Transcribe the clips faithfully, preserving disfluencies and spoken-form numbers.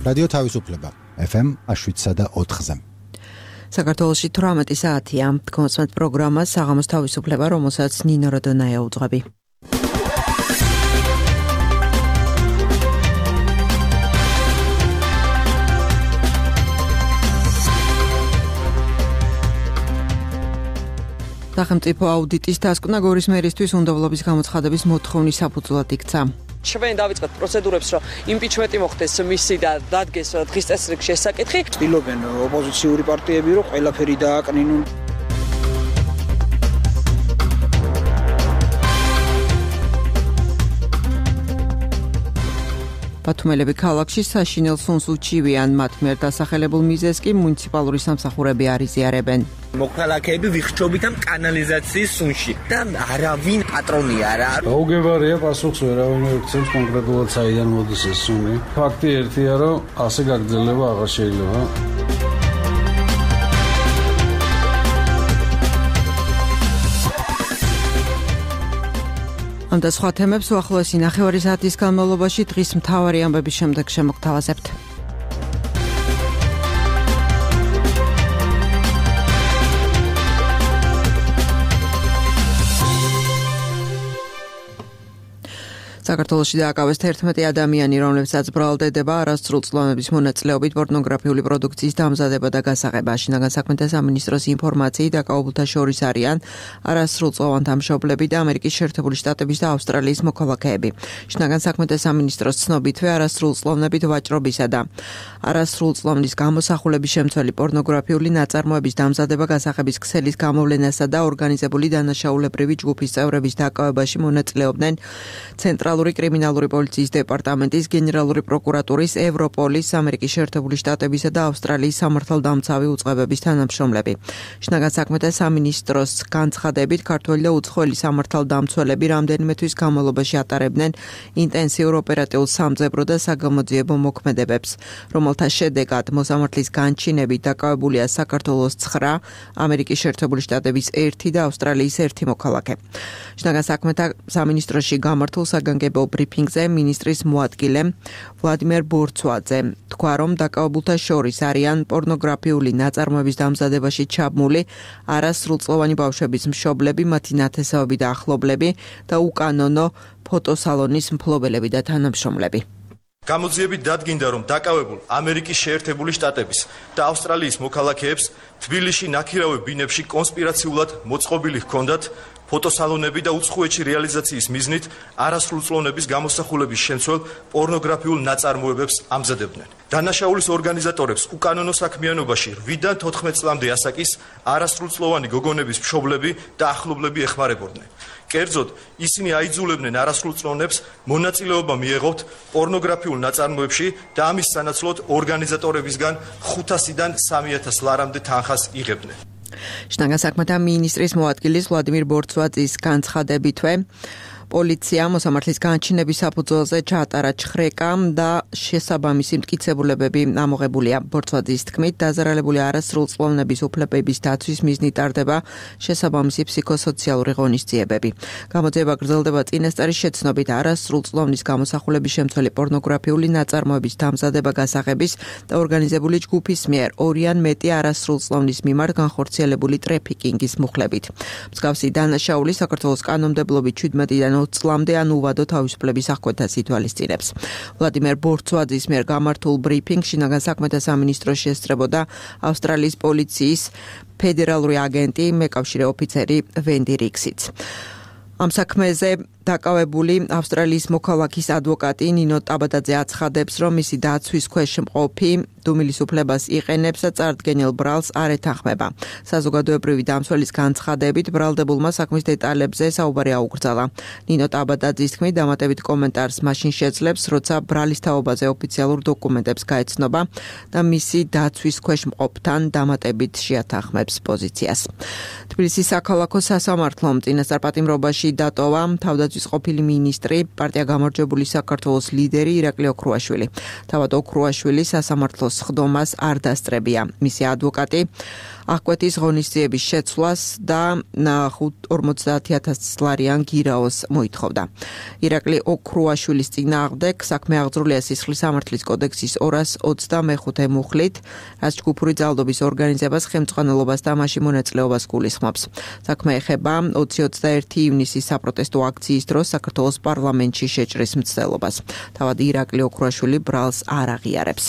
რადიო თავისუფლება ეფ ემ შვიდსა და ოთხზე. საქართველოში თვრამეტი საათია. კონსმეთ პროგრამა საღამოს თავისუფლება, რომელსაც ნინო როდონაია უძღვები. სახელმწიფო აუდიტის დასკვნა გორის მერისთვის უნდობლობის გამოცხადების მოთხოვნის საფუძვლად იქცა. ჩვენ დავიწყეთ პროცედურებს, რომ იმპიჩმენტი მოხდეს მისი და დადგეს დღის წესრიგში ეს საკითხი. ცდილობენ ოპოზიციური პარტიები, რომ ყველაფერი დააკნინონ. ბათუმელები ქალაქში საშინელ სუნს უჩივიან, მათ მიერ დასახელებულ მიზეზს კი მუნიციპალური სამსახურები არ იზიარებენ. მოქალაქეები ვიხჩობით ამ კანალიზაციის სუნში და არავინ პატრონი არა. გაუგებარია პასუხს ვერავინ ექცევს კონკრეტულად საიდან მოდის ეს სუნი. ფაქტი ერთია, რომ ასე გაგრძელება აღარ შეიძლება. ამ და სხვა თემებს უახლოესი ნახევარი საათის განმავლობაში დღის მთავარი ამბების შემდეგ შემოგთავაზებთ. საქართველოში დააკავეს თერთმეტი ადამიანი, რომლებსაც ბრალდება არასრულწლოვანების მონაწილეობით პორნოგრაფიული პროდუქციის დამზადება და გასაღება. შინაგან საქმეთა სამინისტროს ინფორმაციით დაკავებულთა შორის არიან არასრულწლოვანთა მშობლები და ამერიკის შეერთებული შტატების და ავსტრალიის მოქალაქეები. შინაგან საქმეთა სამინისტროს ცნობითვე არასრულწლოვნებით ვაჭრობისა და არასრულწლოვნის გამოსახულების შემცველი პორნოგრაფიული ნაწარმოების დამზადება გასაღების ქსელის გამოვლენასა და ორგანიზებული დანაშაულებრივი ჯგუფის წევრების დაკავებაში მონაწილეობდნენ ცენტრალური კრიმინალური პოლიციის დეპარტამენტის, გენერალური პროკურატურის, ევროპოლის, ამერიკის შეერთებული შტატებისა და ავსტრალიის სამართალდამცავი უწყებების თანამშრომლები. შინაგან საქმეთა სამინისტროს განცხადებით, ქართველი და უცხოელი სამართალდამცველები რამდენიმე თვის განმავლობაში ატარებდნენ ინტენსიურ ოპერატიულ სამძებრო და საგამოძიებო მოქმედებებს, რომელთა შედეგად მოსამართლის განჩინებით დაკავებულია საქართველოს ცხრა, ამერიკის შეერთებული შტატების ერთი და ავსტრალიის ერთი მოქალაქე. შინაგან საქმეთა სამინისტროში გამართულ საგანგებო ბრიფინგზე მინისტრის მოადგილე ვლადიმერ ბორცვაძე თქვა, რომ დაკავებულთა შორის არიან პორნოგრაფიული ნაწარმოების დამზადებაში ჩაბმული არასრულწლოვანი ბავშვების მშობლები, მათი ნათესავები და ახლობლები და უკანონო ფოტოსალონის მფლობელები და თანამშრომლები. გამოძიებით დადგინდა, რომ დაკავებულ ამერიკის შეერთებული შტატების და ავსტრალიის მოქალაქეებს თბილისში ნაქირავე ბინებში კონსპირაციულად მოწყობილი ჰქონდათ ფოტოსალონები და უცხოეთში რეალიზაციის მიზნით არასრულწლოვნების გამოსახულების შემცველ პორნოგრაფიულ ნაწარმოებებს ამზადებდნენ. დანაშაულის ორგანიზატორებს უკანონო საქმიანობაში რვიდან თოთხმეტ წლამდე ასაკის არასრულწლოვანი გოგონების მშობლები და ახლობლები ეხმარებოდნენ. კერძოდ, ისინი აიძულებდნენ არასრულწლოვნებს მონაწილეობა მიეღოთ პორნოგრაფიულ ნაწარმოებში და ამის სანაცვლოდ ორგანიზატორებისგან ხუთასიდან სამი ათას ლარამდე თანხას იღებდნენ. შინაგან საქმეთა მინისტრის მოადგილის ვლადიმერ ბორცვაძის განცხადებითვე პოლიცია მოსამართლის განჩინების საფუძველზე ჩაატარა ჩხრეკა და შესაბამისი მტკიცებულებები ამოღებულია. ბორცვაძის თქმით, დაზარალებული არასრულწლოვნების უფლებების დაცვის მიზნით ტარდება შესაბამისი ფსიქოსოციალური ღონისძიებები. გამოძიება გრძელდება წინასწარის შეცნობით არასრულწლოვნის გამოსახულების შემცველი პორნოგრაფიული ნაწარმოების დამზადება გასაღების და ორგანიზებული ჯგუფის მიერ ორი ან მეტი არასრულწლოვნის მიმართ განხორციელებული ტრეფიკინგის მუხლებით. მსგავსი დანაშაული საქართველოს კანონმდებლობით შვიდმეტიდან ოცი წლამდე ან უვადო თავისუფლების აღკვეთას ითვალისწინებს. ვლადიმერ ბორცვაძის მიერ გამართულ ბრიფინგში შინაგან საქმეთა სამინისტროს შესწრებოდა ავსტრალიის პოლიციის ფედერალური აგენტი, მეკავშირე ოფიცერი ვენდი რიქსიც. ამ საქმეზე დაკავებული ავსტრალიის მოქალაქის ადვოკატი ნინო ტაბადაძე აცხადებს, რომ მისი დაცვის ქვეშ მყოფი დუმილის უფლებას იყენებს და წარდგენილ ბრალს არ ეთანხმება. საზოგადოებრივი დამცველის განცხადებით, ბრალდებულმა საქმის დეტალებზე საუბარი აუკრძალა. ნინო ტაბადაძის თქმით, დამატებით კომენტარს მაშინ შეძლებს, როცა ბრალის თაობაზე ოფიციალურ დოკუმენტებს გაეცნობა და მისი დაცვის ქვეშ მყოფთან დამატებით შეათანხმებს პოზიციას. თბილისის საქალაქო სასამართლომ წინასწარ პატიმრობაში დატოვა თავდაცვის საქმისთვის ყოფილი მინისტრი, პარტია გამარჯვებული საქართველოს ლიდერი ირაკლი ოქრუაშვილი. თავად ოქრუაშვილი სასამართლოს ხდომას არ დასწრებია. მისი ადვოკატი აღკვეთის ღონისძიების შეცვლას და ორმოცდაათი ათასი ლარიან გირაოს მოითხოვდა. ირაკლი ოქრუაშვილის წინააღმდეგ საქმე აღძრულია სისხლის სამართლის კოდექსის ორას ოცდამეხუთე მუხლით, რაც ჯგუფური ძალადობის ორგანიზებას, ხელმძღვანელობას და მასში მონაწილეობას გულისხმობს. საქმე ეხება ოცი ოცდაერთი ივნისის საპროტესტო აქციის დროს საქართველოს პარლამენტში შეჭრის მცდელობას. თავად ირაკლი ოქრუაშვილი ბრალს არ აღიარებს.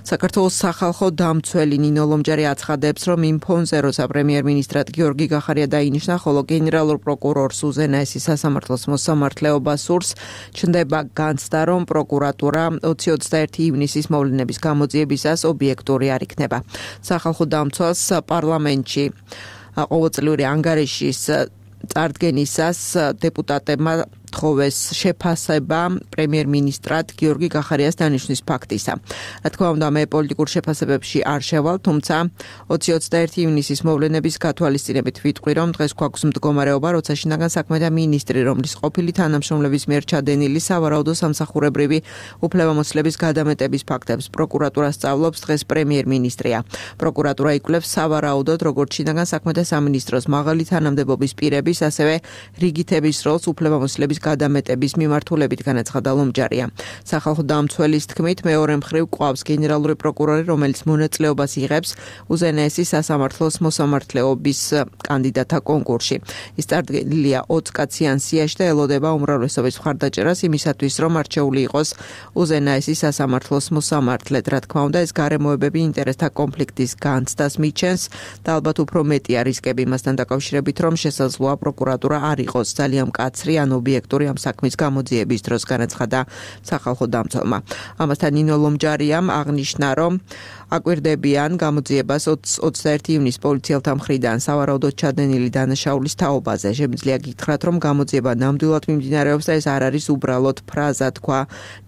საქართველოს სახალხო დამცველი ნინო ლომჯარი აცხადებს, რომ იმ ფონზე, როცა პრემიერ-მინისტრად გიორგი გახარია დაინიშნა, ხოლო გენერალურ პროკურორს უზენაესი სასამართლოს მოსამართლეობა სურს, ჩნდება განცდა, რომ პროკურატურა ოცი ოცდაერთი ივნისის მოვლენების გამოძიებისას ობიექტური არ იქნება. სახალხო დამცველს პარლამენტში ყოველწლიური ანგარიშის წარდგენისას დეპუტატებმა თხოვეს შეფასება პრემიერ-მინისტრად გიორგი გახარიას დანიშვნის ფაქტისა. რა თქმა უნდა, მე პოლიტიკურ შეფასებებში არ შევალ, თუმცა ოცი ოცდაერთი ივნისის მოვლენების გათვალისწინებით ვიტყვი, რომ დღეს გვაქვს მდგომარეობა, როცა შინაგან საქმეთა მინისტრი, რომლის ყოფილი თანამშრომლების მიერ ჩადენილი სავარაუდო სამსახურებრივი უფლებამოსილების გადამეტების ფაქტებს პროკურატურა სწავლობს, დღეს პრემიერ-მინისტრია. პროკურატურა იკვლევს სავარაუდოდ, როგორც შინაგან საქმეთა სამინისტროს მაღალი თანამდებობის პირების, ასევე რიგითების როლს უფლებამოსილების გადამეტების მიმართულებით, განაცხადა ლომჯარია. სახალხო დამცველის თქმით, მეორე მხრივ ყვავს გენერალური პროკურორი, რომელიც მონაწილეობას იღებს უზენაესი სასამართლოს მოსამართლეობის კანდიდატთა კონკურსში. ის წარდგენილია ოცკაციან სიაში და ელოდება უმრავლესობის მხარდაჭერას იმისათვის, რომ არჩეული იყოს უზენაესი სასამართლოს მოსამართლედ. რა თქმა უნდა, ეს გარემოებები ინტერესთა კონფლიქტის განცდას მიჩენს და ალბათ უფრო მეტია რისკები მასთან დაკავშირებით, რომ შესაძლოა პროკურატურა არ იყოს ძალიან მკაცრი ან ობიექტური ამ საქმის გამოძიების დროს, განაცხადა სახალხო დამცველმა. ამასთან ნინო ლომჯარიამ აღნიშნა, რომ აკვირდებიან გამოძიებას ოცდაერთი ივნისის პოლიციელთა მხრიდან სავარაუდოდ ჩადენილი დანაშაულის თაობაზე. შემიძლია გითხრათ, რომ გამოძიება ნამდვილად მიმდინარეობს და ეს არ არის უბრალოდ ფრაზა, თქვა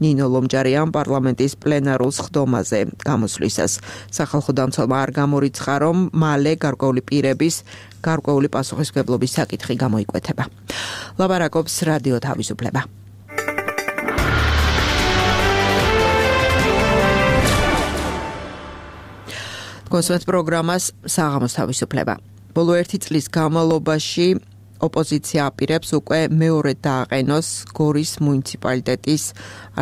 ნინო ლომჯარიამ პარლამენტის პლენარულ ხდომაზე გამოსვლისას. სახალხო დამცველმა არ გამორიცხა, რომ მალე გარკვეული პირების გარკვეული პასუხისმგებლობის საკითხი გამოიკვეთება. ლაბარაკობს რადიო თავისუფლება. კონსერტ პროგრამას საღამოს თავისუფლება. ბოლო ერთი წლის განმავლობაში ოპოზიცია აპირებს უკვე მეორე დააყენოს გორის მუნიციპალიტეტის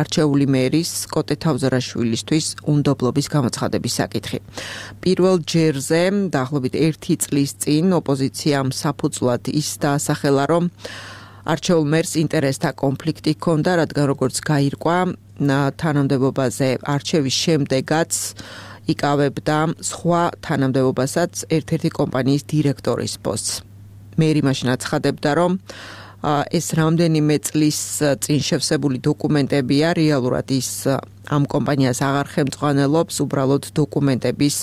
არჩეული მერის კოტე თავზარაშვილისთვის უნდობლობის გამოცხადების საკითხი. პირველ ჯერზე დაახლოებით ერთი წლის წინ ოპოზიციამ საფუძვლად ის დაასახელა, რომ არჩეულ მერს ინტერესთა კონფლიქტი ჰქონდა, რადგან როგორც გაირკვა, თანამდებობაზე არჩევის შემდეგაც იკავებდა სხვა თანამდებობასაც ერთ-ერთი კომპანიის დირექტორის პოსტს. მერი მაშინ აცხადებდა, რომ ეს რამდენიმე წლის წინ შევსებული დოკუმენტებია, რეალურად ის ამ კომპანიას აღარ ხელმძღვანელობს, უბრალოდ დოკუმენტების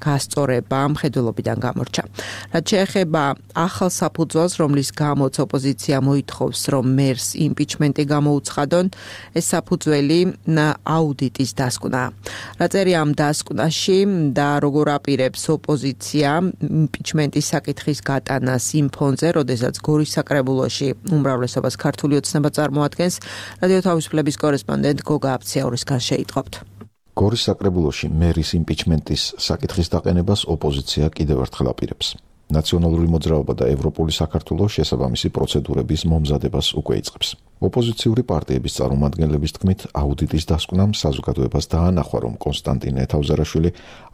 გასწორება მხედველობიდან გამორჩა. რაც შეეხება ახალ საფუძველს, რომლის გამოც ოპოზიცია მოითხოვს, რომ მერს იმპიჩმენტი გამოუცხადონ, ეს საფუძველი აუდიტის დასკვნა. რა წერია ამ დასკვნაში და როგორ აპირებს ოპოზიცია იმპიჩმენტის საკითხის გატანას იმ ფონზე, როდესაც გორის საკრებულოში უმრავლესობას ქართული ოცნება წარმოადგენს, რადიო თავისუფლების კორესპონდენტ გოგა აფციაურისგან შეიტყობთ. გორის საკრებულოში მერის იმპიჩმენტის საკითხის დაყენებას ოპოზიცია კიდევ ერთხელ აპირებს. ნაციონალური მოძრაობა და ევროპული საქართველო შესაბამისი პროცედურების მომზადებას უკვე იწყებს. ოპოზიციური პარტიების წარმომადგენლების თქმით, აუდიტის დასკვნამ საზოგადოებას დაანახვა, რომ კონსტანტინე თავზარაშვილი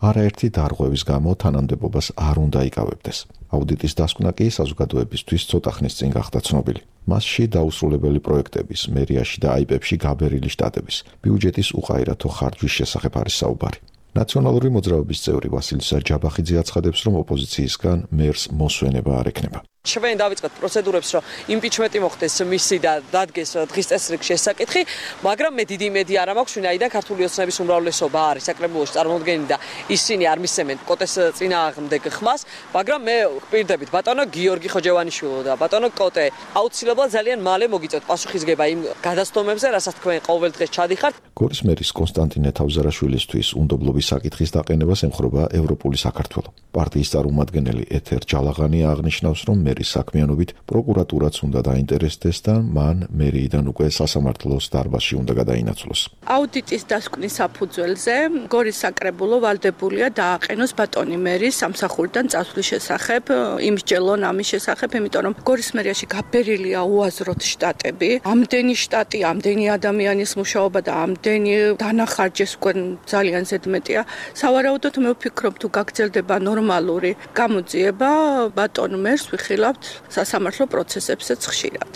არაერთი დარღვევის გამო თანამდებობას არ უნდა იკავებდეს. აუდიტის დასკვნა კი საზოგადოებისთვის ცოტა ხნის წინ გახდა ცნობილი. მასში დაუსრულებელი პროექტების, მერიაში და აიპებში გაბერილი შტატების, ბიუჯეტის უყაირათო ხარჯვის შესახებ არის საუბარი. ნაციონალური მოძრაობის წევრი ვასილისა ჯაბახიძე აცხადებს, რომ ოპოზიციისგან მერს მოსვენება არ ექნება. ჩვენ დავიწყეთ პროცედურებს, რომ იმპიჩმენტი მოხდეს მისი და დადგეს დღის წესრიგში ეს საკითხი, მაგრამ მე დიდი იმედი არ მაქვს, ვინაიდან ქართული ოცნების უმრავლესობა არის საკრებულოში წარმოდგენილი და ისინი არ მისცემენ კოტეს წინააღმდეგ ხმას, მაგრამ მე ვპირდებით ბატონო გიორგი ხოჯევანიშვილო და ბატონო კოტე, აუცილებლად ძალიან მალე მოგიწევთ პასუხისგება იმ გადასტომებზე, რასაც თქვენ ყოველ დღეს ჩადიხართ. გორის მერის კონსტანტინე თავზარაშვილისთვის უნდობლობის საკითხის დაყენებას ემხრობა ევროპული საქართველო. პარტიის წარმომადგენელი ეთერ ჯალაღანი აღნიშნავს, რომ მერის საქმიანობით პროკურატურაც უნდა დაინტერესდეს და მან მერიიდან უკვე სასამართლოს დარბაზში უნდა გადაინაცვლოს. აუდიტის დასკვნის საფუძველზე გორის საკრებულო ვალდებულია დააყენოს ბატონი მერის სამსახურიდან წასვლის შესახებ, იმსჯელონ ამის შესახებ, იმიტომ რომ გორის მერიაში გაბერილია უაზროდ შტატები, ამდენი შტატი, ამდენი ადამიანის მუშაობა და ამდენი დანახარჯეს უკვე ძალიან ზედმეტია. სავარაუდოდ მე ვფიქრობ, თუ გაგრძელდება ნორმალური გამოძიება, ბატონ მერს ვიხილავთ სასამართლო პროცესებსაც ხშირად.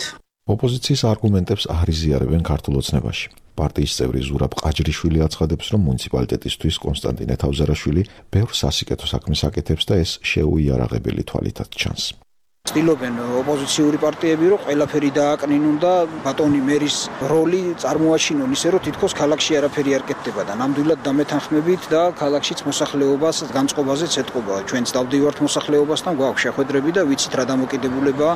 ოპოზიციის არგუმენტებს არ იზიარებენ ქართულ ოცნებაში. პარტიის წევრი ზურაბ ყაჯრიშვილი აცხადებს, რომ მუნიციპალიტეტისთვის კონსტანტინე თავზარაშვილი ბევრ სასიკეთო საქმეს აკეთებს და ეს შეუიარაღებელი თვალითაც ჩანს. ცდილობენ ოპოზიციური პარტიები, რომ ყველაფერი დააკნინონ და ბატონი მერის როლი წარმოაჩინონ ისე, რომ თითქოს ქალაქში არაფერი არ კეთდება და ნამდვილად დამეთანხმებით და ქალაქშიც მოსახლეობას განწყობაზეც ეთყობა. ჩვენც დავდივართ მოსახლეობასთან, გვაქვს შეხვედრები და ვიცით რა დამოკიდებულება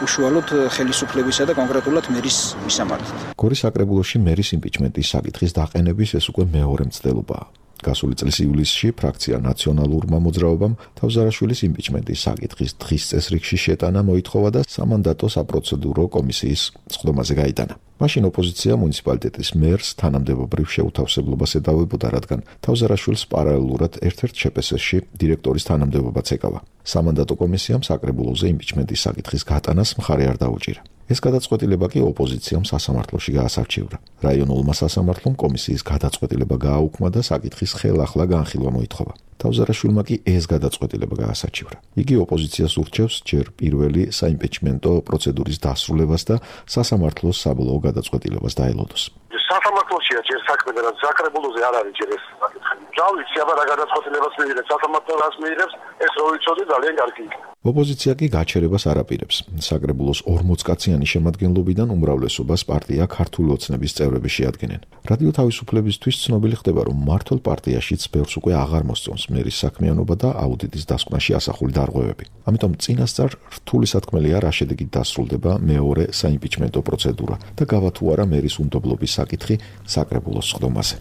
უშუალოდ ხელისუფლებისა და კონკრეტულად მერის მისამართით. გორის საკრებულოში მერის იმპიჩმენტის საკითხის დაყენების ეს უკვე მეორე მცდელობაა. გასული წლის ივლისში ფრაქცია ნაციონალურმა მოძრაობამ თავზარაშვილის იმპიჩმენტის საკითხის დღის წესრიგში შეტანა მოითხოვა და სამანდატო საპროცედურო კომისიის სხდომაზე გაიტანა. მაშინ ოპოზიცია მუნიციპალიტეტის მერს თანამდებობრივ შეუთავსებლობას ედავებოდა, რადგან თავზარაშვილს პარალელურად ერთ-ერთ შეპესში დირექტორის თანამდებობაც ეკავა. სამანდატო კომისიამ საკრებულოზე იმპიჩმენტის საკითხის გატანას მხარე არ დაუჭირა. ეს გადაწყვეტილება კი ოპოზიციამ სასამართლოში გაასარჩევდა. რაიონულმა სასამართლომ კომისიის გადაწყვეტილება გააუქმა და საკითხის ხელახლა განხილვა მოითხოვა. თავზარაშვილმა კი ეს გადაწყვეტილება გაასარჩევრა. იგი ოპოზიციას ურჩევს ჯერ პირველი საიმპიჩმენტო პროცედურის დასრულებას და სასამართლოს საბოლოო გადაწყვეტილებას დაელოდოს. სასამართლოშია ჯერ საქმე და საკრებულოზე არ არის ჯერ ეს საკითხი. ჯავით აბა რა გადაწყვეტილებას მიიღებს სასამართლო რას მიიღებს, ეს რო ვიცოდი ძალიან კარგი იქნება. ოპოზიცია კი გაჩერებას არ აპირებს. საკრებულოს ორმოც კაციანი შემადგენლობიდან უმრავლესობას პარტია ქართული ოცნების წევრები შეადგენენ. რადიო თავისუფლებისთვის ცნობილი ხდება, რომ მართლ პარტიაშიც ბევრს უკვე აღარ მოსწონს მერის საქმიანობა და აუდიტის დასკვნაში ასახული დარღვევები. ამიტომ წინასწარ რთული სათქმელია რა შედეგით დასრულდება მეორე საიმპიჩმენტო პროცედურა და გავა თუ არა მერის უნდობლობის საკითხი საკრებულოს სხდომაზე.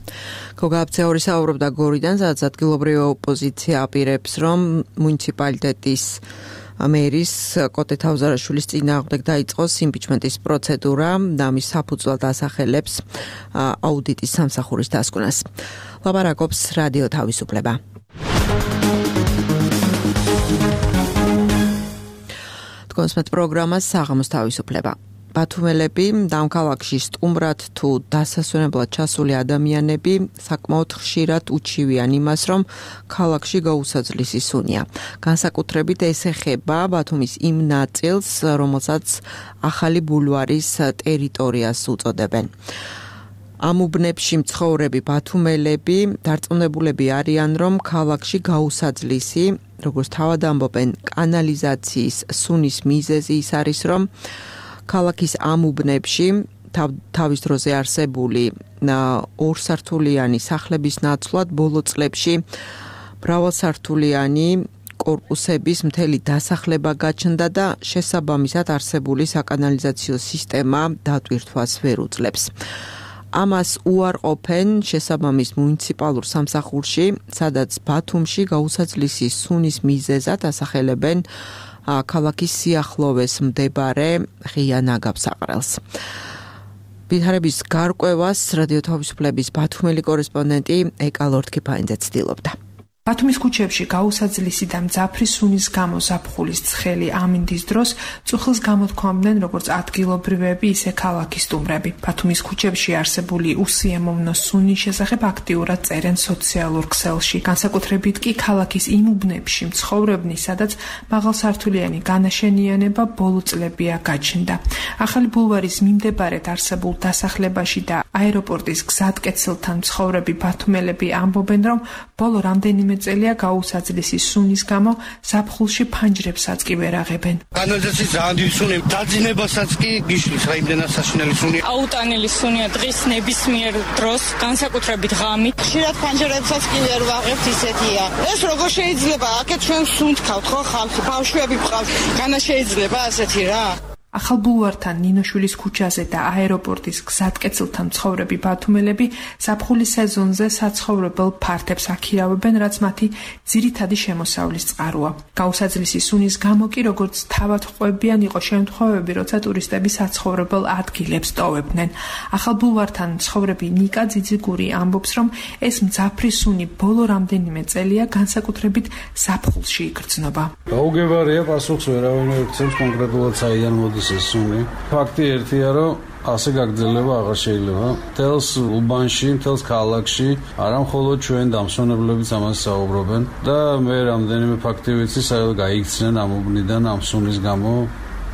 გოგაბცეული საუბრობდა გორიდან, სადაც ადგილობრივი ოპოზიცია აპირებს, რომ მუნიციპალიტეტის მერის კოტე თავზარაშვილის წინააღმდეგ დაიწყოს იმპიჩმენტის პროცედურა და მის საფუძვლად ასახელებს აუდიტის სამსახურის დასკვნას. ლაპარაკობს რადიო თავისუფლება. თქვენს პროგრამას საღამოს თავისუფლება. ბათუმელები და ამ ქალაქში სტუმრად თუ დასასვენებლად ჩასული ადამიანები საკმაოდ ხშირად უჩივიან იმას, რომ ქალაქში გაუსაძლის ისუნია. განსაკუთრებით ეს ეხება ბათუმის იმ ნაწილს, რომელსაც ახალი ბულვარის ტერიტორიას უწოდებენ. ამ უბნებში მცხოვრები ბათუმელები დარწმუნებულები არიან, რომ ქალაქში გაუსაძლისი, როგორც თავად ამბობენ, კანალიზაციის სუნის მიზეზი ის არის, რომ ქალაქის ამ უბნებში თავის დროზე არსებული ორსართულიანი სახლების ნაცვლად ბოლო წლებში მრავალსართულიანი კორპუსების მთელი დასახლება გაჩნდა და შესაბამისად არსებული საკანალიზაციო სისტემა დატვირთვას ვერ უძლებს. ამას უარყოფენ შესაბამის მუნიციპალურ სამსახურში, სადაც ბათუმში გაუსაძლისი სუნის მიზეზად ასახელებენ ქალაქის სიახლოვეს მდებარე ღია ნაგავსაყრელს. ვითარების გარკვევას რადიო თავისუფლების ბათუმელი კორესპონდენტი ეკა ლორთქიფაინძე ცდილობდა. ბათუმის ქუჩებში გაუსაძლისი და მძაფრი სუნის გამო ზაფხულის ცხელი ამინდის დროს წუხილს გამოთქვამდნენ როგორც ადგილობრივები, ისე ქალაქის სტუმრები. ბათუმის ქუჩებში არსებული უსიამოვნო სუნის შესახებ აქტიურად წერენ სოციალურ ქსელში. განსაკუთრებით კი ქალაქის იმ უბნებში მცხოვრებნი, სადაც მაღალსართულიანი განაშენიანება ბოლო წლებია გაჩნდა. ახალი ბულვარის მიმდებარედ არსებულ დასახლებაში და აეროპორტის გზატკეცილთან მცხოვრები ბათუმელები ამბობენ, რომ ბოლო რამდენიმე წელია გაუსაძლისი სუნის გამო ზაფხულში ფანჯრებსაც კი ვერ აღებენ. კანალიზაციის ძალიან დიდი სუნი, დაძინებასაც კი გიშლის რა იმდენად საშინელი სუნი. აუტანელი სუნია დღის ნებისმიერ დროს, განსაკუთრებით ღამით. ხშირად ფანჯრებსაც კი ვერ ვაღებთ, ისეთია. ეს როგორ შეიძლება? აქეთ ჩვენ სუნთქავთ ხო ხალხი, ბავშვები გვყავს. განა შეიძლება ასეთი რა? ახალ ბულვართან, ნინოშვილის ქუჩაზე და აეროპორტის გზატკეცილთან მცხოვრები ბათუმელები ზაფხულის სეზონზე საცხოვრებელ ფართებს აქირავებენ, რაც მათი ძირითადი შემოსავლის წყაროა. გაუსაძლისი სუნის გამო კი როგორც თავად ყვებიან იყო შემთხვევები, როცა ტურისტები საცხოვრებელ ადგილებს ტოვებდნენ. ახალ ბულვართან მცხოვრები ნიკა ძიძიგური ამბობს, რომ ეს მძაფრი სუნი ბოლო რამდენიმე წელია განსაკუთრებით ზაფხულში იგრძნობა. გაუგებარია, პასუხს ვერავინ ვერ გცემს კონკრეტულად საიდან მოდის ეს სუნი. ფაქტი ერთია, რომ ასე გაგრძელება აღარ შეიძლება. თელს უბანში, თელს ქალაქში, არა მხოლოდ ჩვენ დამსვენებლებიც ამას საუბრობენ და მე რამდენიმე ფაქტი ვიცი, სადაც გაიქცნენ ამ უბნიდან ამ სუნის გამო.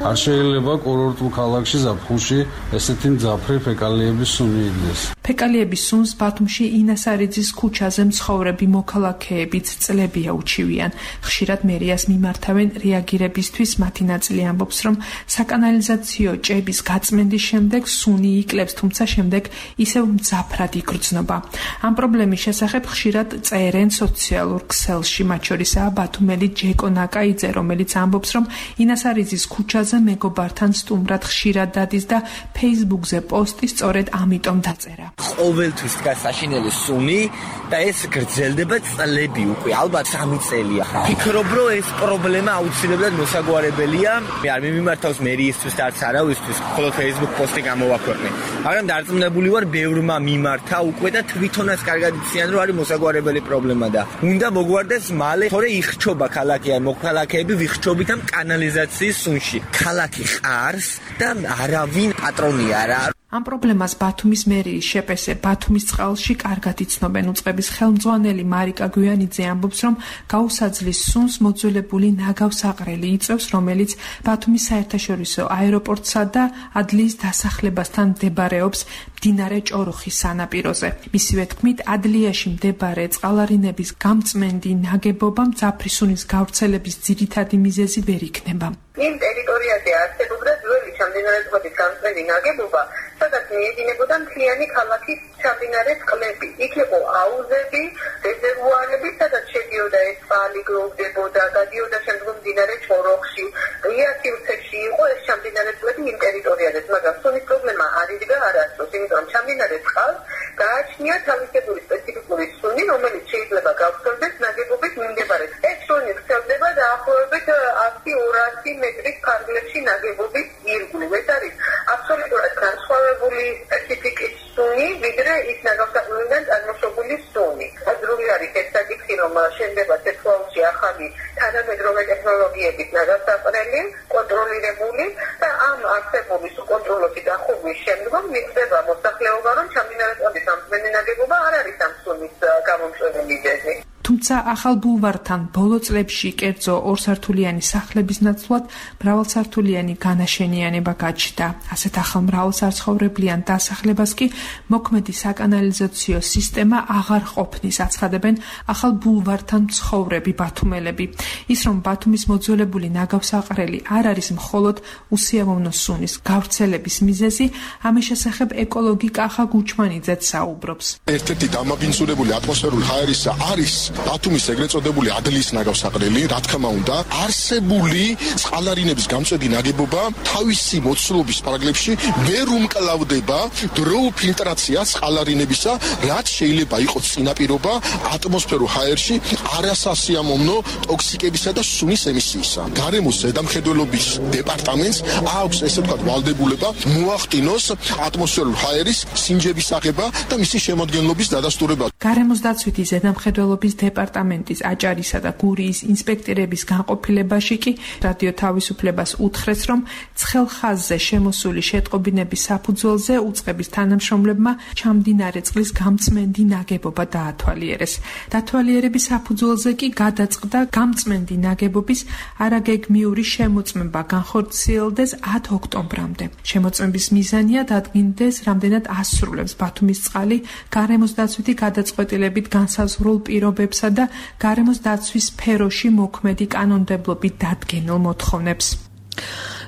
არ შეიძლება კურორტულ ქალაქში ზაფხულში ესეთი მძაფრი ფეკალიების სუნი იდგეს. ფეკალიების სუნს ბათუმში ინასარიძის ქუჩაზე მცხოვრები მოქალაქეებიც წლებია უჩივიან. ხშირად მერიას მიმართავენ რეაგირებისთვის. მათი ნაწილი ამბობს, რომ საკანალიზაციო ჭების გაწმენდის შემდეგ სუნი იკლებს, თუმცა შემდეგ ისევ მძაფრად იგრძნობა. ამ პრობლემის შესახებ ხშირად წერენ სოციალურ ქსელში, მათ შორისაა ბათუმელი ჯეკო ნაკაიძე, რომელიც ამბობს, რომ ინასარიძის ქუჩაზე მეგობართან სტუმრად ხშირად დადის და Facebook-ზე პოსტი სწორედ ამიტომ დაწერა. ყოველთვის დგას საშინელი სუნი და ეს გრძელდება წლები უკვე, ალბათ სამი წელია. ფიქრობ, რომ ეს პრობლემა აუცილებლად მოსაგვარებელია. მე არ მიმართავს მერიისთვის და არც არავისთვის, მხოლოდ Facebook პოსტი გამოვაქვეყნე. მაგრამ დარწმუნებული ვარ, ბევრმა მიმართა უკვე და თვითონაც კარგად იციან, რომ არის მოსაგვარებელი პრობლემა და უნდა მოგვარდეს მალე, თორე იხჩობა ქალაქი, ან მოქალაქეები ვიხჩობით ამ კანალიზაციის სუნში. ქალაქი ყარს და არავინ პატრონია რა. ამ პრობლემას ბათუმის მერიის შეპესე ბათუმის წყალში კარგად იცნობენ. უწყების ხელმძღვანელი მარიკა გვიანიძე ამბობს, რომ გაუსაძლის სუნს მოძველებული ნაგავსაყრელი იწევს, რომელიც ბათუმის საერთაშორისო აეროპორტსა და ადლიის დასახლებასთან მდებარეობს მდინარე ჭოროხის სანაპიროზე. მისივე თქმით, ადლიაში მდებარე წყალარინების გამწმენდი ნაგებობა მძაფრი სუნის გავრცელების ძირითადი მიზეზი ვერ იქნება. იმ ტერიტორიაზე არსებობდა ძველი ჩამდინარეთობის გამწმენდი ნაგებობა, სადაც მიედინებოდა მთლიანი ქალაქის ჩამდინარე წყლები. იქ იყო აუზები, რეზერვუარები, სადაც შედიოდა ეს წყალი, გროვდებოდა, გადიოდა შემდგომ მდინარე ჭოროხში. ღია სივრცეში იყო ეს ჩამდინარე წყლები იმ ტერიტორიაზე, მაგრამ სუნის პრობლემა არ იდგა არასდროს, იმიტომ რომ ჩამდინარე წყალს გააჩნია თავისებური სპეციფიკური სუნი, რომელიც შეიძლება გავრცელდეს ნაგებობის მიმდებარედ. ეს სუნი ვრცელდება დაახლოებით ათი ორასი მეტრის ფარგლებში ნაგებობის ირგვლივ. ეს არის აბსოლუტურად განსხვავებული სპეციფიკის სუნი, ვიდრე ის ნაგავსაყრელიდან წარმოშობილი სუნი. ადრული არის ეს საკითხი, რომ შენდება თეთრაულში ახალი თანამედროვე ტექნოლოგიებით ნაგავსაყრელი, კონტროლირებული და ამ არსებული საკონტროლო დახურვის შემდგომ მიღწევა მოსახლეობა, რომ ჩამდინარე წყლის ამწმენი ნაგებობა არ არის ამ სუნის გამომწვევი მიზეზი. თუმცა ახალ ბულვართან ბოლო წლებში კერძო ორსართულიანი სახლების ნაცვლად მრავალსართულიანი განაშენიანება გაჩნდა. ასეთ ახალ მრავალსაცხოვრებლიან დასახლებას კი მოქმედი საკანალიზაციო სისტემა აღარ ყოფნის, აცხადებენ ახალ ბულვართან მცხოვრები ბათუმელები. ის რომ ბათუმის მოძველებული ნაგავსაყრელი არ არის მხოლოდ უსიამოვნო სუნის გავრცელების მიზეზი, ამის შესახებ ეკოლოგი კახა გუჩმანიძეც საუბრობს. ერთ-ერთი დამაბინძურებული ატმოსფერული ჰაერისა არის ბათუმის ეგრეთ წოდებული ადლიის ნაგავსაყრელი, რა თქმა უნდა, არსებული წყალარინების გამწვევი ნაგებობა თავისი მოცულობის პარაგლებში ვერ უმკლავდება დროულ ფილტრაციას წყალარინებისა, რაც შეიძლება იყოს წინაპირობა ატმოსფერულ ჰაერში არასასიამოვნო ტოქსიკებისა და სუნის ემისიისა. გარემოს ზედამხედველობის დეპარტამენტს აქვს ესე ვთქვათ ვალდებულება მოახდინოს ატმოსფერულ ჰაერის სინჯების აღება და მისი შემოადგენლობის დადასტურება. გარემოს დაცვითი ზედამხედველობის დეპარტამენტის აჭარისა და გურიის ინსპექტორების განყოფილებაში კი რადიო თავისუფლებას უთხრეს, რომ ცხელ ხაზზე შემოსული შეტყობინების საფუძველზე უწყების თანამშრომლებმა ჩამდინარე წყლის გამწმენდი ნაგებობა დაათვალიერეს. დათვალიერების საფუძველზე კი გადაწყდა გამწმენდი ნაგებობის არაგეგმიური შემოწმება განხორციელდეს ათ ოქტომბრამდე. შემოწმების მიზანია დადგინდეს, რამდენად ასრულებს ბათუმის წყალი გარემოს დაცვითი გადაწყვეტილებით განსაზღვრულ პირობებსა და გარემოს დაცვის სფეროში მოქმედი კანონმდებლობით დადგენილ მოთხოვნებს.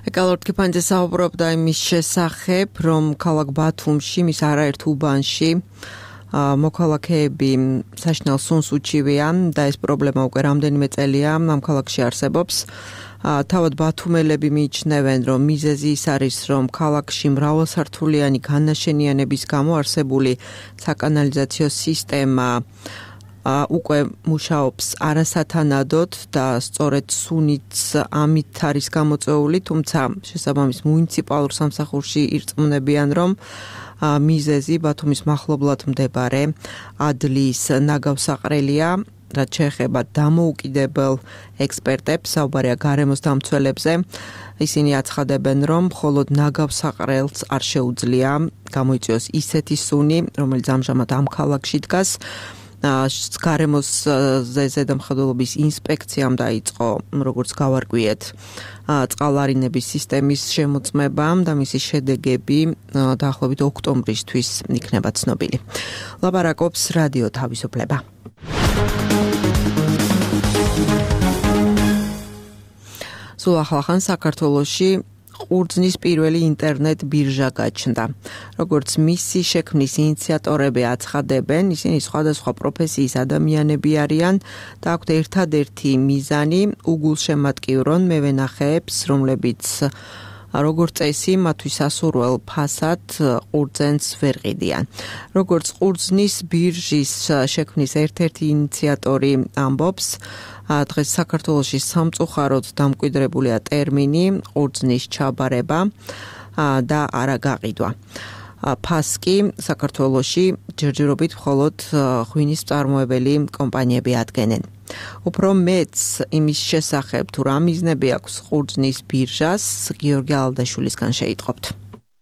ეკალორდ კიფანძე საუბრობდა იმის შესახებ, რომ ქალაქ ბათუმში, მის არაერთ უბანში მოქალაქეები საშინელ სუნს უჩივიან და ეს პრობლემა უკვე რამდენიმე წელია ამ ქალაქში არსებობს. თავად ბათუმელები მიიჩნევენ, რომ მიზეზი ის არის, რომ ქალაქში მრავალსართულიანი განაშენიანების გამო არსებული საკანალიზაციო სისტემა უკვე მუშაობს არასათანადოდ და სწორედ სუნიც ამით არის გამოწვეული, თუმცა შესაბამის მუნიციპალურ სამსახურში ირწმუნებიან, რომ მიზეზი ბათუმის მახლობლად მდებარე ადლის ნაგავსაყრელია, რაც შეეხება დამოუკიდებელ ექსპერტებს, საუბარია გარემოს დამცველებზე. ისინი აცხადებენ, რომ მხოლოდ ნაგავსაყრელს არ შეუძლია გამოიწვიოს ისეთი სუნი, რომელიც ამჟამად ამ ქალაქში დგას. გარემოს ზედამხედველობის ინსპექციამ დაიწყო, როგორც გავარკვიეთ, წყალარინების სისტემის შემოწმება და მისი შედეგები დაახლოებით ოქტომბრისთვის იქნება ცნობილი. ლაპარაკობს რადიო თავისუფლება. სულ ახლახან საქართველოში ყურძნის პირველი ინტერნეტ ბირჟა გაჩნდა. როგორც მისი შექმნის ინიციატორები აცხადებენ, ისინი სხვადასხვა პროფესიის ადამიანები არიან და აქვთ ერთადერთი მიზანი უგულშემატკივრონ მევენახეებს, რომლებიც როგორც წესი მათთვის სასურველ ფასად ყურძენს ვერ ყიდიან. როგორც ყურძნის ბირჟის შექმნის ერთ-ერთი ინიციატორი ამბობს, დღეს საქართველოში სამწუხაროდ დამკვიდრებულია ტერმინი ყურძნის ჩაბარება და არა გაყიდვა. ფასკი საქართველოში ჯერჯერობით მხოლოდ ღვინის მწარმოებელი კომპანიები ადგენენ. უფრო მეც იმის შესახებ თუ რა მიზნები აქვს ყურძნის ბირჟას, გიორგი ალდაშვილისგან შეიტყობთ.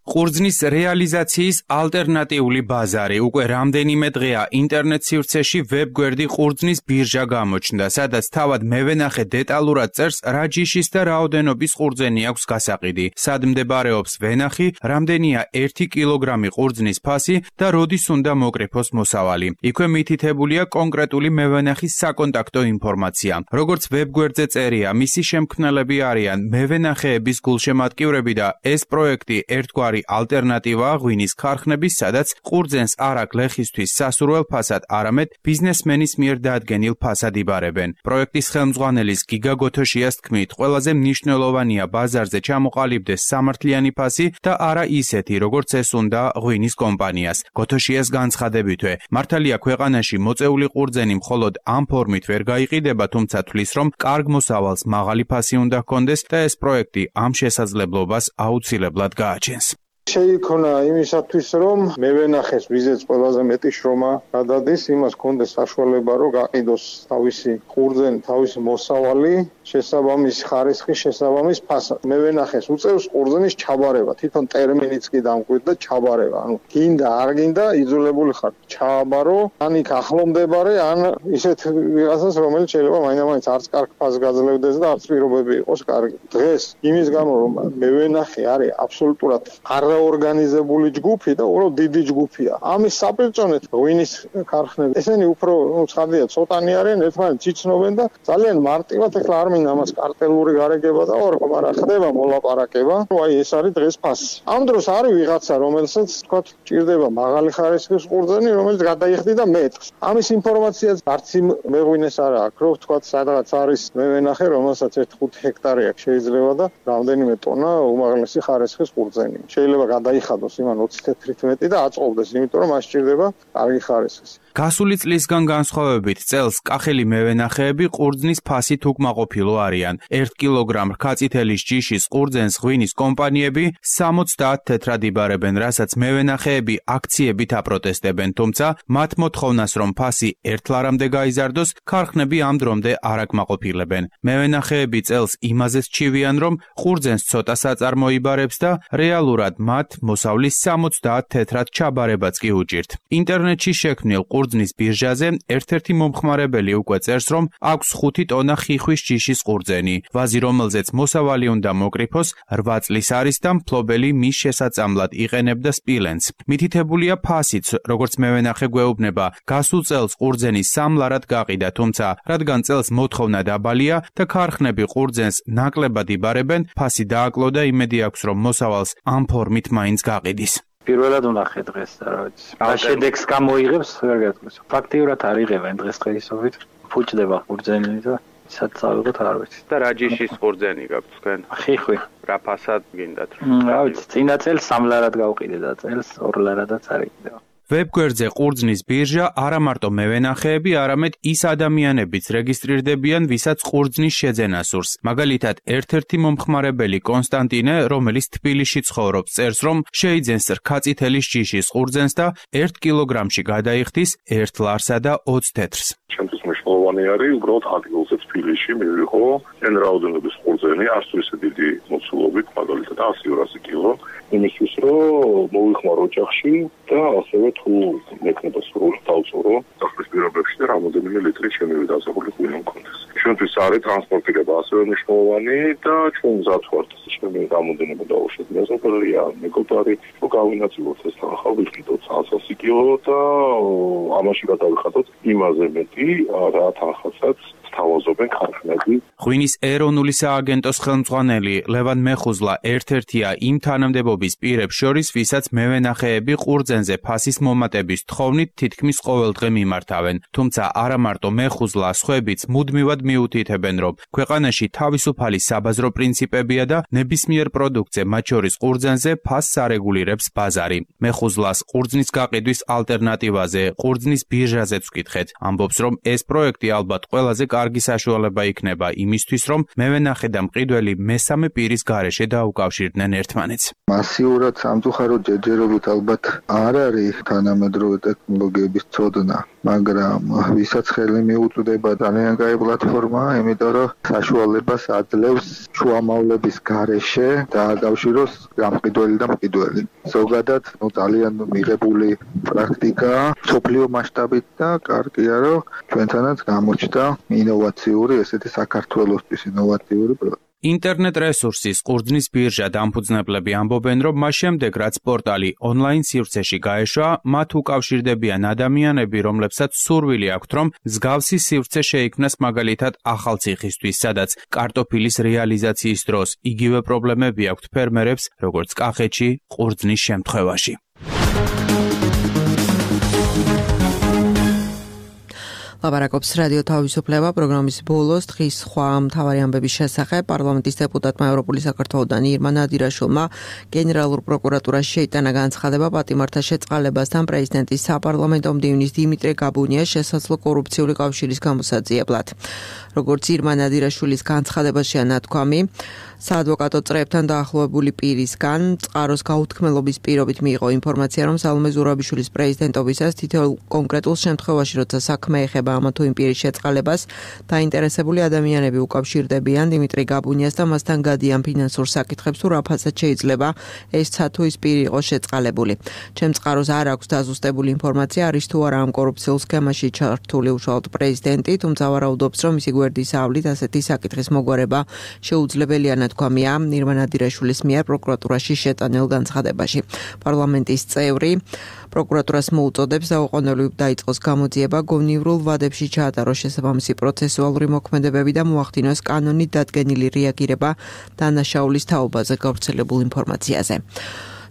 ყურძნის რეალიზაციის ალტერნატიული ბაზარი უკვე რამდენიმე დღეა ინტერნეტ სივრცეში ვებგვერდი ყურძნის ბირჟა გამოჩნდა, სადაც თავად მევენახე დეტალურად წერს, რა ჯიშის და რაოდენობის ყურძენი აქვს გასაყიდი, სად მდებარეობს ვენახი, რამდენია ერთი კილოგრამი ყურძნის ფასი და როდის უნდა მოკრიფოს მოსავალი. იქვე მითითებულია კონკრეტული მევენახის საკონტაქტო ინფორმაცია. როგორც ვებგვერდზე წერია, მისი შემქმნელები არიან მევენახეების გულშემატკივრები და ეს პროექტი ერთგვარი ალტერნატივა ღვინის ქარხნების, სადაც ყურძენს არა გლეხისთვის სასურველ ფასად, არამედ ბიზნესმენის მიერ დადგენილ ფასად იბარებენ. პროექტის ხელმძღვანელის გიგა გოთოშიას თქმით, ყველაზე მნიშვნელოვანია ბაზარზე ჩამოყალიბდეს სამართლიანი ფასი და არა ისეთი, როგორც ეს უნდა ღვინის კომპანიას. გოთოშიას განცხადებითვე, მართალია ქვეყანაში მოწეული ყურძენი მხოლოდ ამ ფორმით ვერ გაიყიდება, თუმცა თვლის, რომ კარგ მოსავალს მაღალი ფასი უნდა ჰქონდეს და ეს პროექტი ამ შესაძლებლობას აუცილებლად გააჩენს. შეიქმნა იმისათვის, რომ მევენახეს ვიზეც ყველაზე მეტი შრომა გადადის, იმას კონდეს საშუალება, რომ გაყიდოს თავისი ყურძენი, თავისი მოსავალი, შესაბამის ხარისხის, შესაბამის ფასად. მევენახეს უწევს ყურძენის ჩაბარება, თვითონ ტერმინიც კი დამკვიდრდა ჩაბარება. ანუ გინდა, არ გინდა, იძულებული ხარ ჩააბარო, ან იქ ახლომდებარე, ან ისეთ ვიღაცას, რომელიც შეიძლება მაინც არც კარგ ფასს გაძლევდეს და არც პირობები იყოს კარგი. დღეს იმის გამო, რომ მევენახე არის აბსოლუტურად არ ორგანიზებული ჯგუფი და უბრალოდ დიდი ჯგუფია. ამის საპირწონეთ ღვინის ქარხნები. ესენი უფრო ცხადია, ცოტანი არიან, ერთმანეთს იცნობენ და ძალიან მარტივად ეხლა არ მინდა ამას კარტელური გარეგება და ორყო, მაგრამ ხდება მოლაპარაკება. აი ეს არის დღეს ფასი. ამ დროს არის ვიღაცა, რომელსაც თქვა ჭირდება მაღალი ხარისხის ყურძენი, რომელიც გადაიხდიდა მეტრს. ამის ინფორმაციაც არც იმ მეღვინეს არ აქვს, რომ თქვა სადღაც არის მევენახე, რომელსაც ერთი ხუთი ჰექტარი აქვს შეიძლება და რამდენიმე ტონა უმაღლესი ხარისხის ყურძენი. შეიძლება გადაიხადოს იმან ოცი თეთრით მეტი და აწყობდეს, იმიტომ რომ მას სჭირდება კარგი ხარისხის. გასული წლისგან განსხვავებით წელს კახელი მევენახეები ყურძნის ფასით უკმაყოფილო არიან. ერთ კილოგრამ რქაწითელის ჯიშის ყურძენს ღვინის კომპანიები სამოცდაათ თეთრად იბარებენ, რასაც მევენახეები აქციებით აპროტესტებენ, თუმცა მათ მოთხოვნას, რომ ფასი ერთლარამდე გაიზარდოს, ქარხნები ამ დრომდე არ აკმაყოფილებენ. მევენახეები წელს იმაზეც ჩივიან, რომ ყურძენს ცოტა საწარმოიბარებს და რეალურად მათ მოსავლის სამოცდაათ თეთრად ჩაბარებაც კი უჭირთ. ინტერნეტში შექმნილ ყურძნის ბირჟაზე ერთ-ერთი მომხმარებელი უკვე წერს, რომ აქვს ხუთი ტონა ხიხვის ჯიშის ყურძენი, ვაზი რომელზეც მოსავალი უნდა მოკრიფოს რვა წლის არის და მფლობელი მის შესაწამლად იყენებდა სპილენძს. მითითებულია ფასიც, როგორც მევენახე გვეუბნება, გასულ წელს ყურძენი სამლარად გაყიდა, თუმცა რადგან წელს მოთხოვნა დაბალია და ქარხნები ყურძენს ნაკლებად იბარებენ, ფასი დააკლო და იმედი აქვს, რომ მოსავალს ამ ფორმით მაინც გაყიდის. პირველად უნახე დღეს და რა ვიცი. რა შედეგს გამოიღებს, ვერ გეტყვის. ფაქტიურად არ იღებენ დღესდღეობით. ფუჭდება ყურძენი და საწავლებოთ არ ვიცი. და რა ჯიშის ყურძენი გაქვთ თქვენ? ხიხვი. რა ფასად გინდათ? რა ვიცი, წინა წელს სამ ლარად გავყიდე და წელს ორ ლარადაც არ იყიდება. ვებგვერდზე ყურძნის ბირჟა არა მარტო მევენახეები, არამედ ის ადამიანებიც რეგისტრირდებიან, ვისაც ყურძნის შეძენა სურს. მაგალითად, ერთ-ერთი მომხმარებელი კონსტანტინე, რომელიც თბილისში ცხოვრობს, წერს, რომ შეიძენს რქაწითელის ჯიშის ყურძენს და ერთ კილოგრამში გადაიხდის ერთ ლარსა და ოცი თეთრს. ჩემთვის მნიშვნელოვანი არის უბრალოდ ადგილზე თბილისში მივიღო εν რაოდენობის ყურძენი, არც თუ ისე დიდი მოცულობით, მაგალითად ასი ორასი კილო, იმისთვის რომ მოვიხმარო ოჯახში და ასევე თუ მექნება სრული დავწურო სახლის პირობებში და რამოდენიმე ლიტრი ჩემი დასახული ღვინო მქონდეს. ჩვენთვის არის ტრანსპორტირება ასევე მნიშვნელოვანი და ჩვენ მზად ვართ ჩემი რამოდენობა დავუშვათ მეზობელია, მეგობარი, რომ გავინაწილოთ ეს თანხა ვიყიდოთ ასი კილო და ამაში გადავიხადოთ იმაზე მეტი რა თანხასაც თავაზობენ ქარხნები. ღვინის ეროვნული სააგენტოს ხელმძღვანელი ლევან მეხუზლა ერთ-ერთია იმ თანამდებობის პირებს შორის, ვისაც მევენახეები ყურძენზე ფასის მომატების თხოვნით თითქმის ყოველდღე მიმართავენ. თუმცა არა მარტო მეხუზლა, სხვაებიც მუდმივად მიუთითებენ, რომ ქვეყანაში თავისუფალი საბაზრო პრინციპებია და ნებისმიერ პროდუქტზე, მათ შორის ყურძენზე ფასს არეგულირებს ბაზარი. მეხუზლას ყურძნის გაყიდვის ალტერნატივაზე, ყურძნის ბირჟაზეც ვკითხეთ. ამბობს, რომ ეს პროექტი ალბათ ყველაზე კარგი საშუალება იქნება იმისთვის, რომ მევენახე და მყიდველი მესამე პირის გარეშე დაუკავშირდნენ ერთმანეთს. მასიურად სამწუხაროდ ჯერჯერობით ალბათ არ არის თანამედროვე ტექნოლოგიების ცოდნა, მაგრამ ვისაც ხელი მიუწვდება ძალიან კაი პლატფორმა, იმიტომ რომ საშუალებას აძლევს შუამავლების გარეშე დააკავშიროს გამყიდველი და მყიდველი. ზოგადად, ნუ ძალიან მიღებული პრაქტიკა, სოფლიო მასშტაბით და კარგია, რომ ჩვენთანაც გამოჩნდა ინოვაციური, ესეთი საქართველოსთვის ინოვაციური პროექტი. ინტერნეტ რესურსის ყურძნის ბირჟა დამფუძნებლები ამბობენ, რომ მას შემდეგ, რაც პორტალი ონლაინ სივრცეში გაეშვა, მათ უკავშირდებიან ადამიანები, რომლებსაც სურვილი აქვთ, რომ მსგავსი სივრცე შეიქმნას მაგალითად ახალციხისთვის, სადაც კარტოფილის რეალიზაციის დროს იგივე პრობლემები აქვთ ფერმერებს, როგორც კახეთში ყურძნის შემთხვევაში. ლაპარაკობს რადიო თავისუფლება პროგრამის ბოლოს დღის სხვა მთავარი ამბების შესახებ. პარლამენტის დეპუტატმა ევროპული საქართველოდან ირმა ნადირაშვილმა გენერალურ პროკურატურაში შეიტანა განცხადება პატიმართა შეწყალებასთან პრეზიდენტის საპარლამენტო მდივნის დიმიტრი გაბუნიას შესაძლო კორუფციული კავშირის გამოსაძიებლად. როგორც ირმა ნადირაშვილის განცხადებაშია ნათქვამი, საადვოკატო წრეებთან დაახლოებული პირისგან წყაროს გაუთქმელობის პირობით მიიღო ინფორმაცია, რომ სალომე ზურაბიშვილის პრეზიდენტობისას თითოეულ კონკრეტულ შემთხვევაში, როცა საქმე ეხება ამა თუ იმ პირის შეწყალებას, დაინტერესებული ადამიანები უკავშირდებიან დიმიტრი გაბუნიას და მასთან გადიან ფინანსურ საკითხებს, თუ რა ფასად შეიძლება ეს თუ ის პირი იყოს შეწყალებული. ჩემ წყაროს არ აქვს დაზუსტებული ინფორმაცია, არის თუ არა ამ კორუფციულ სქემაში ჩართული უშუალოდ პრეზიდენტი, თუმცა ვარაუდობს, რომ მისი გვერდის ავლით ასეთი საკითხის მოგვარება შეუძლებელია ნათქვამია ირმა ნადირაშვილის მიერ პროკურატურაში შეტანილ განცხადებაში. პარლამენტის წევრი პროკურატურას მოუწოდებს დაუყოვნებლივ დაიწყოს გამოძიება, გონივრულ ვადებში ჩაატაროს შესაბამისი პროცესუალური მოქმედებები და მოახდინოს კანონით დადგენილი რეაგირება დანაშაულის თაობაზე გავრცელებულ ინფორმაციაზე.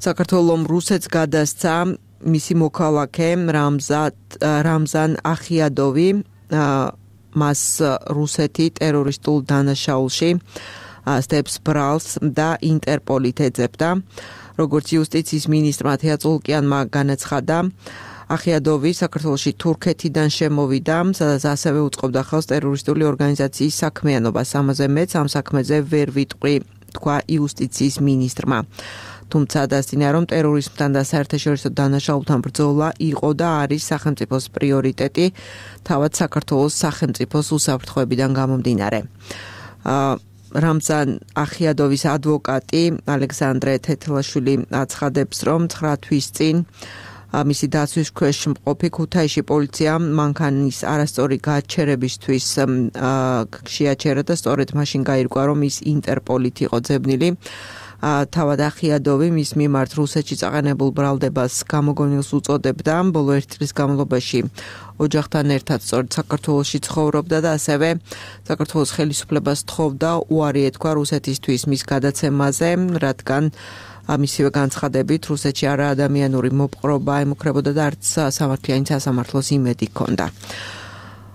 საქართველომ რუსეთს გადასცა მისი მოქალაქე რამზან ახიადოვი, მას რუსეთი ტერორისტულ დანაშაულში სტებს ბრალს და ინტერპოლით ეძებდა. როგორც იუსტიციის მინისტრმა თეა წულკიანმა განაცხადა, ახიადოვი საქართველოში თურქეთიდან შემოვიდა, სადაც ასევე უწყობდა ხელს ტერორისტული ორგანიზაციის საქმიანობას. ამაზე მეც ამ საქმეზე ვერ ვიტყვი, თქვა იუსტიციის მინისტრმა. თუმცა დასწინა, რომ ტერორიზმთან და საერთაშორისო დანაშაულთან ბრძოლა იყო და არის სახელმწიფოს პრიორიტეტი, თავად საქართველოს სახელმწიფოს უსაფრთხოებიდან გამომდინარე. რამზან ახიადოვის ადვოკატი ალექსანდრე თეთლაშვილი აცხადებს, რომ ცხრა თვის წინ მისი დაცვის ქვეშ მყოფი ქუთაისში პოლიციამ მანქანის არასწორი გაჩერებისთვის შეაჩერა და სწორედ მაშინ გაირკვა, რომ ის ინტერპოლით იყო ძებნილი. თავად ახიადოვი მის მიმართ რუსეთში წაყენებულ ბრალდებას გამოგონილს უწოდებდა. ბოლო ერთი წლის განმავლობაში ოჯახთან ერთად სწორედ საქართველოში ცხოვრობდა და ასევე საქართველოს ხელისუფლებას თხოვდა უარი ეთქვა რუსეთისთვის მის გადაცემაზე, რადგან მისივე განცხადებით რუსეთში არა ადამიანური მოპყრობა ემუქრებოდა და არც სამართლიანი სასამართლოს იმედი ჰქონდა.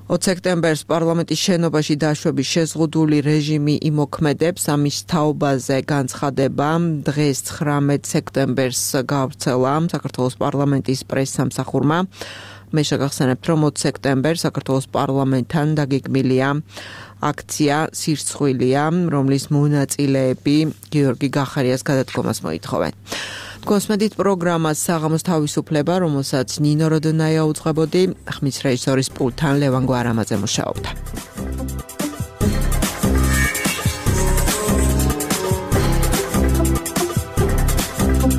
ოცი სექტემბერს პარლამენტის შენობაში დაშვების შეზღუდული რეჟიმი იმოქმედებს. ამის თაობაზე განცხადება დღეს ცხრამეტ სექტემბერს გავრცელა საქართველოს პარლამენტის პრესსამსახურმა. მე შეგახსენებთ, რომ ოცი სექტემბერს საქართველოს პარლამენტთან დაგეგმილია აქცია სირცხვილია, რომლის მონაწილეები გიორგი გახარიას გადადგომას მოითხოვენ. კონსმედით პროგრამას საღამოს თავისუფლება, რომელსაც ნინო როდონაია უძღვებოდი, ხმის რეჟისორის პულტთან ლევან გვარამაძე მუშაობდა.